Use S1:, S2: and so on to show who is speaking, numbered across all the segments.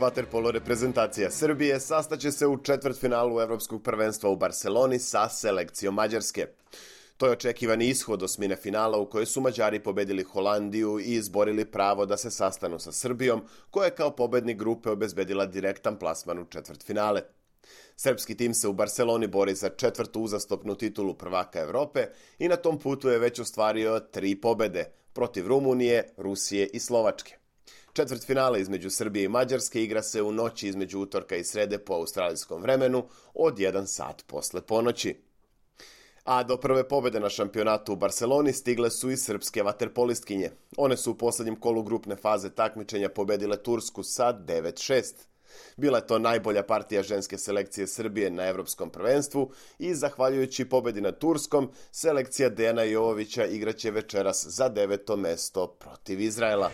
S1: Vaterpolo reprezentacija Srbije sastaće se u četvrtfinalu Evropskog prvenstva u Barseloni sa selekcijom Mađarske. To je očekivani ishod osmine finala u kojoj su Mađari pobedili Holandiju i izborili pravo da se sastanu sa Srbijom, koja je kao pobednik grupe obezbedila direktan plasman u četvrtfinale. Srpski tim se u Barseloni bori za četvrtu uzastopnu titulu prvaka Evrope i na tom putu je već ostvario 3 pobede protiv Rumunije, Rusije i Slovačke. Četvrtfinale između Srbije i Mađarske igra se u noći između utorka i srede po australijskom vremenu od 1 sat posle ponoći. A do prve pobede na šampionatu u Barseloni stigle su i srpske vaterpolistkinje. One su u poslednjem kolu grupne faze takmičenja pobedile Tursku sa 9-6. Bila je to najbolja partija ženske selekcije Srbije na Evropskom prvenstvu i zahvaljujući pobedi nad Turskom, selekcija Dejana Jovovića igraće večeras za 9. mesto protiv Izraela.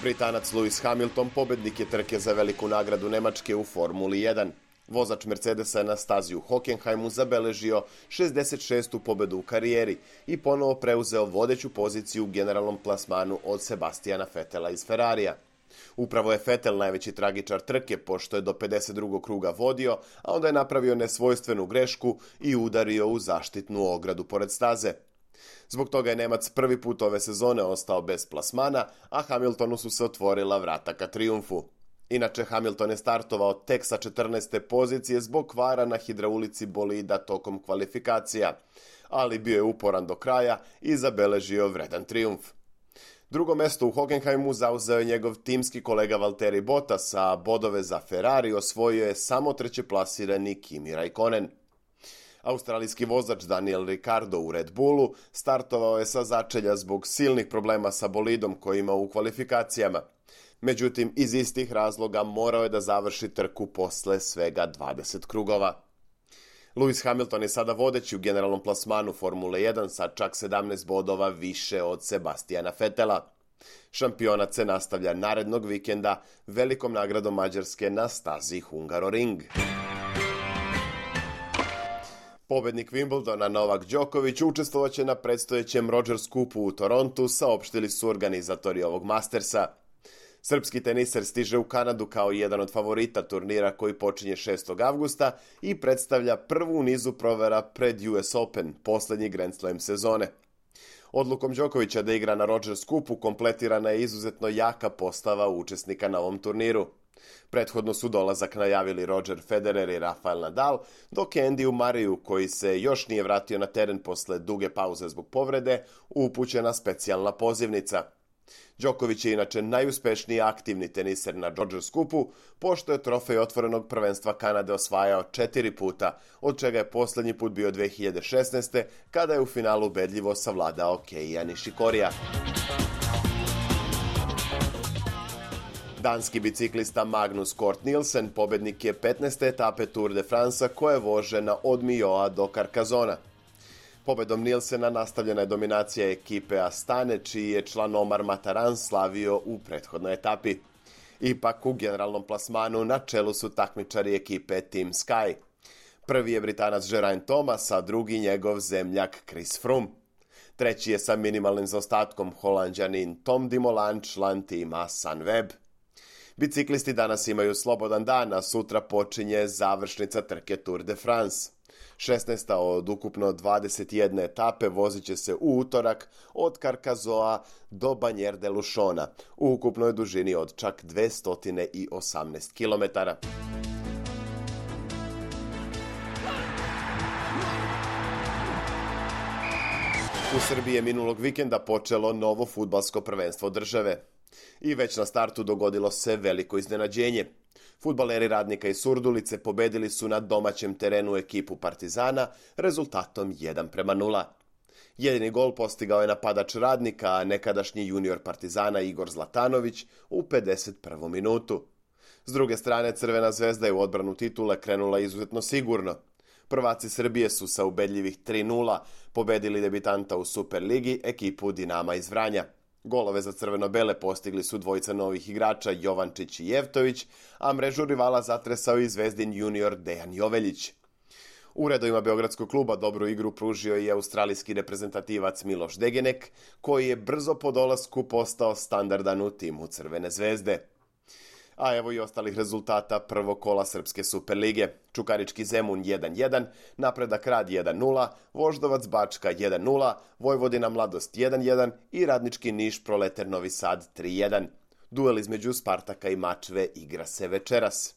S1: Britanac Lewis Hamilton pobednik je trke za veliku nagradu Nemačke u Formuli 1. Vozač Mercedesa je na stazi u Hockenheimu zabeležio 66. pobedu u karijeri i ponovo preuzeo vodeću poziciju u generalnom plasmanu od Sebastiana Vettela iz Ferrarija. Upravo je Vettel najveći tragičar trke, pošto je do 52. kruga vodio, a onda je napravio nesvojstvenu grešku i udario u zaštitnu ogradu pored staze. Zbog toga je Nemac prvi put ove sezone ostao bez plasmana, a Hamiltonu su se otvorila vrata ka trijumfu. Inače, Hamilton je startovao tek sa 14. pozicije zbog kvara na hidraulici bolida tokom kvalifikacija, ali bio je uporan do kraja i zabeležio vredan trijumf. Drugo mesto u Hockenheimu zauzeo je njegov timski kolega Valtteri Bottas, a bodove za Ferrari osvojio je samo trećeplasirani Kimi Raikkonen. Australijski vozač Daniel Ricciardo u Red Bullu startovao je sa začelja zbog silnih problema sa bolidom koji ima u kvalifikacijama. Međutim, iz istih razloga morao je da završi trku posle svega 20 krugova. Lewis Hamilton je sada vodeći u generalnom plasmanu Formule 1 sa čak 17 bodova više od Sebastiana Vettela. Šampionat se nastavlja narednog vikenda velikom nagradom Mađarske na stazi Hungaroring. Pobednik Wimbledona Novak Đoković učestvovaće na predstojećem Rogers Cupu u Torontu, saopštili su organizatori ovog Mastersa. Srpski teniser stiže u Kanadu kao jedan od favorita turnira koji počinje 6. avgusta i predstavlja prvu u nizu provera pred US Open, poslednji Grand Slam sezone. Odlukom Đokovića da igra na Rogers Cupu kompletirana je izuzetno jaka postava učesnika na ovom turniru. Prethodno su dolazak najavili Roger Federer i Rafael Nadal, dok je Andy Murrayju, koji se još nije vratio na teren posle duge pauze zbog povrede, upućena specijalna pozivnica. Đoković je inače najuspešniji aktivni teniser na Rogers Cupu, pošto je trofej otvorenog prvenstva Kanade osvajao 4 puta, od čega je poslednji put bio 2016. kada je u finalu ubedljivo savladao Keija Nishikorija. Danski biciklista Magnus Cort Nielsen pobednik je 15. etape Tour de France koja vože od Milloa do Carcassona. Pobedom Nielsena nastavljena je dominacija ekipe Astane, čiji je član Omar Mataran slavio u prethodnoj etapi. Ipak u generalnom plasmanu na čelu su takmičari ekipe Team Sky. Prvi je Britanac Geraint Thomas, a drugi njegov zemljak Chris Froome. Treći je sa minimalnim zaostatkom Holanđanin Tom Dumoulin, član tima Sunweb. Biciklisti danas imaju slobodan dan, a sutra počinje završnica trke Tour de France. 16. od ukupno 21 etape vozit će se u utorak od Carcassonne do Bagnères de Luchona u ukupnoj dužini od čak 218 km. U Srbiji je minulog vikenda počelo novo fudbalsko prvenstvo države. I već na startu dogodilo se veliko iznenađenje. Fudbaleri Radnika iz Surdulice pobedili su na domaćem terenu ekipu Partizana rezultatom 1:0. Jedini gol postigao je napadač Radnika, a nekadašnji junior Partizana Igor Zlatanović u 51. minutu. S druge strane, Crvena zvezda je u odbranu titule krenula izuzetno sigurno. Prvaci Srbije su sa ubedljivih 3:0 pobedili debitanta u Superligi, ekipu Dinama iz Vranja. Golove za crveno-bele postigli su dvojica novih igrača Jovančić i Jevtović, a mrežu rivala zatresao i Zvezdin junior Dejan Joveljić. U redovima Beogradskog kluba dobru igru pružio i australijski reprezentativac Miloš Degenek, koji je brzo po dolasku postao standardan u timu Crvene zvezde. A evo i ostalih rezultata prvog kola Srpske Superlige. Čukarički Zemun 1-1, Napredak Rad 1-0, Voždovac Bačka 1-0, Vojvodina Mladost 1-1 i Radnički Niš Proleter Novi Sad 3-1. Duel između Spartaka i Mačve igra se večeras.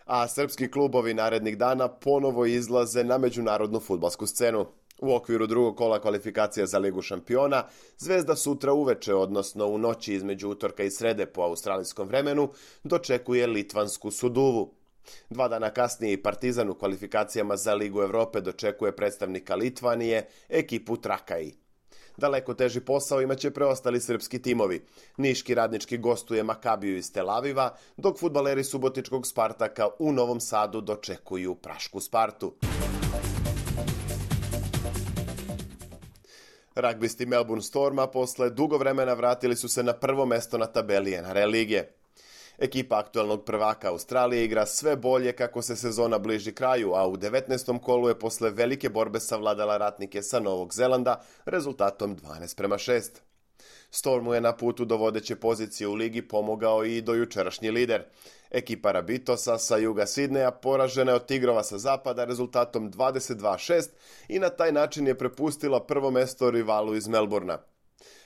S1: A srpski klubovi narednih dana ponovo izlaze na međunarodnu fudbalsku scenu. U okviru drugog kola kvalifikacija za Ligu šampiona, Zvezda sutra uveče, odnosno u noći između utorka i srede po australijskom vremenu, dočekuje litvansku Suduvu. 2 dana kasnije i Partizan u kvalifikacijama za Ligu Evrope dočekuje predstavnika Litvanije, ekipu Trakaji. Daleko teži posao imaće preostali srpski timovi. Niški Radnički gostuje Makabiju iz Tel Aviva, dok fudbaleri subotičkog Spartaka u Novom Sadu dočekuju prašku Spartu. Ragbisti Melbourne Storma posle dugo vremena vratili su se na prvo mesto na tabeli NRL lige. Ekipa aktualnog prvaka Australije igra sve bolje kako se sezona bliži kraju, a u 19. kolu je posle velike borbe savladala ratnike sa Novog Zelanda rezultatom 12:6. Stormu je na putu do vodeće pozicije u ligi pomogao i dojučerašnji lider. Ekipa Rabitosa sa juga Sidneja poražena je od Tigrova sa zapada rezultatom 22:6 i na taj način je prepustila prvo mesto rivalu iz Melbourna.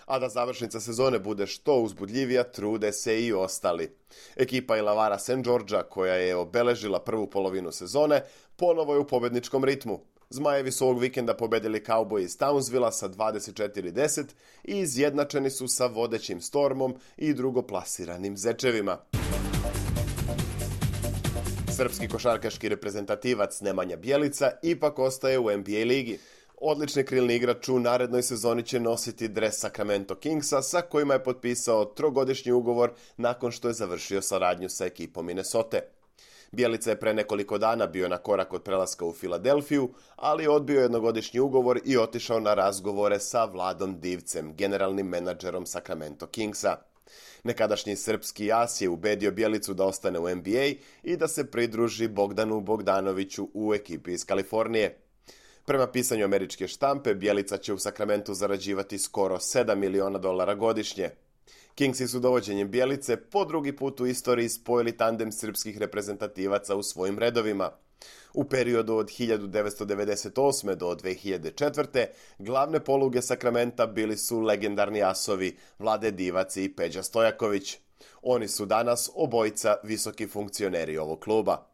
S1: A da završnica sezone bude što uzbudljivija, trude se i ostali. Ekipa Illawarra St. Georgea, koja je obeležila prvu polovinu sezone, ponovo je u pobedničkom ritmu. Zmajevi su ovog vikenda pobedili Cowboy iz Townsvilla sa 24:10 i izjednačeni su sa vodećim Stormom i drugoplasiranim Zečevima. Srpski košarkaški reprezentativac Nemanja Bjelica ipak ostaje u NBA ligi. Odlični krilni igrač u narednoj sezoni će nositi dres Sacramento Kingsa sa kojima je potpisao 3-godišnji ugovor nakon što je završio saradnju sa ekipom Minnesota. Bjelica je pre nekoliko dana bio na korak od prelaska u Filadelfiju, ali odbio jednogodišnji ugovor i otišao na razgovore sa Vladom Divcem, generalnim menadžerom Sacramento Kingsa. Nekadašnji srpski as je ubedio Bjelicu da ostane u NBA i da se pridruži Bogdanu Bogdanoviću u ekipi iz Kalifornije. Prema pisanju američke štampe, Bjelica će u Sakramentu zarađivati skoro $7 miliona godišnje. Kingsi su dovođenjem Bjelice po drugi put u istoriji spojili tandem srpskih reprezentativaca u svojim redovima. U periodu od 1998. do 2004. glavne poluge Sakramenta bili su legendarni asovi Vlade Divac i Peđa Stojaković. Oni su danas obojica visoki funkcioneri ovog kluba.